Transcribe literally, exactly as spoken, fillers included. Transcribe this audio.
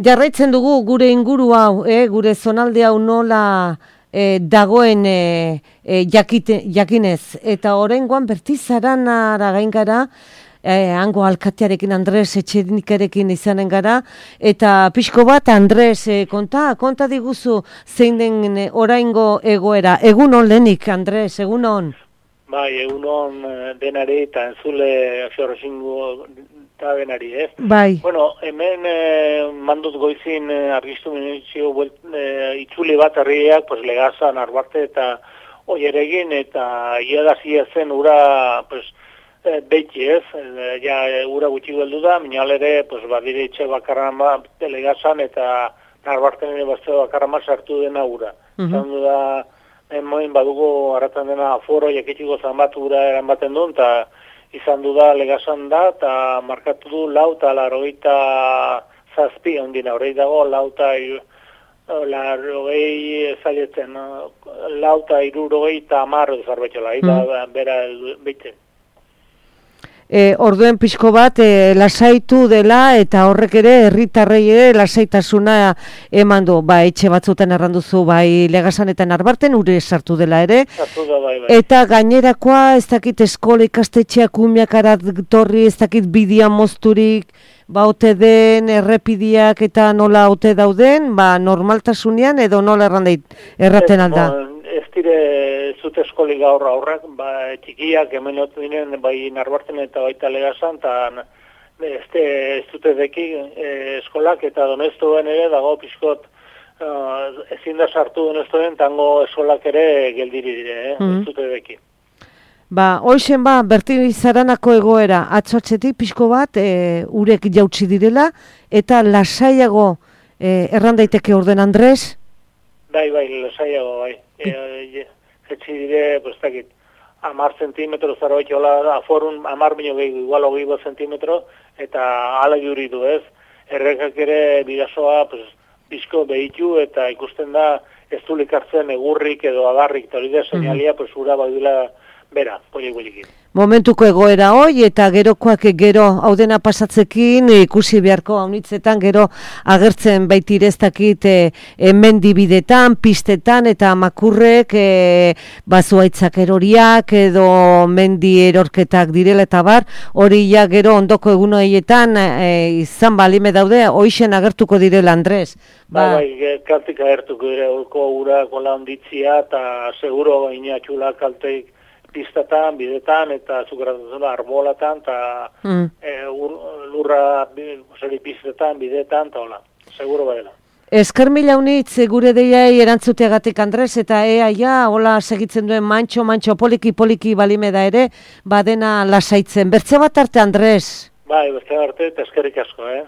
Jarraitzen dugu gure inguru hau, eh, gure zonalde hau nola eh, dagoen eh, eh, jakite, jakinez. Eta oraingoan Bertizaranara gain gara, eh, hango alkatearekin Andres Etxenikarekin izanen gara, eta pixko bat Andres, eh, konta, konta diguzu zein den eh, oraingo egoera. Egun on lehenik, Andres, egun on. Bai, egun on denari eta entzule Xorroxingo eta denari, ez? Bai. Bueno, hemen eh, mandut goizin eh, argiztu minutxio eh, itzuli bat herriak, pues, Legazan, Arbarte eta oieregin, eta iadazia zen ura, pues, eh, beitzi, ez? Eh, ja, ura gutxi geldu da, minal ere, pues, badire itxe bakarran bat, Legazan eta Arbarten ere bazte bakarran bat sartu dena ura. Uh-huh. Zandu da, hemen badugu harratan dena aforo jakitxiko zanbatura eran baten duen, eta izan du da Legazan da, eta markatu du lau eta larogeita zazpi ondina, horrei dago lau eta larogei zailetzen, lau eta irurogei eta amarro zarbetxola, eta bera behitzen. E, orduen pixko bat e, lasaitu dela eta horrek ere herritarrei ere lasaitasuna eman du. Ba, etxe batzutan erranduzu bai Legazan eta Narbarten ure sartu dela ere. Sartu da, bai, bai. Eta gainerakoa ez dakit eskola ikastetxeak umiakarat torri, ez dakit bidia mozturik, ba ote den errepidiak eta nola ote dauden, ba normaltasunean edo nola errandeit erraten alda. Ez dire zute eskoli gaur aurrak, ba, txikiak hemen otu dinen, bai Narbarten eta baita Legazan, eta ez dute deki e, eskolak, eta donestuen ere dago pixkot uh, ezin da sartu donestuen, tango eskolak ere geldiri dire, eh? Mm-hmm. Ez dute deki. Ba, hoixen ba, Bertizaranako egoera, atxotxetik pixko bat, e, urek jautsi direla, eta lasaiago e, errandaiteke orden Andres? Bai, bai, lasaiago, bai. Jetzi dire, pues, takit, amar zentimetro zaro etxola, aforun, amar bineo gehiago, igual hogei bat zentimetro, eta ala juri du, ez? Errekak ere bidazoa, pues, bizko behitu, eta ikusten da, ez du likartzen egurrik edo agarrik, eta hori da seinalia, pues, ura badula bera, poiek boilekin. Momentuko egoera hoi, eta gerokoak gero hau dena pasatzekin ikusi beharko haunitzetan gero agertzen baitireztakit e, e, mendibidetan, pistetan eta makurrek e, bazuaitzak eroriak edo mendi erorketak direla eta bar, hori ja gero ondoko egun horietan e, izan balime daude, hoixen agertuko direla Andres. Ba, bai, kaltik agertuko dire, holko ura kola onditzia eta seguro baina txula kalteik pistatan, bidetan, eta zukeratuzuna arbolatan, eta mm. e, lurra zeri pistetan, bidetan, eta hola, seguro badela. Esker mila unitz gure deiai erantzuteagatik Andres, eta ea ja, hola segitzen duen mantxo, mantxo, poliki, poliki balime da ere, badena lasaitzen. Bertze bat arte, Andres? Bai, bertze bat arte, eta eskerrik asko, eh?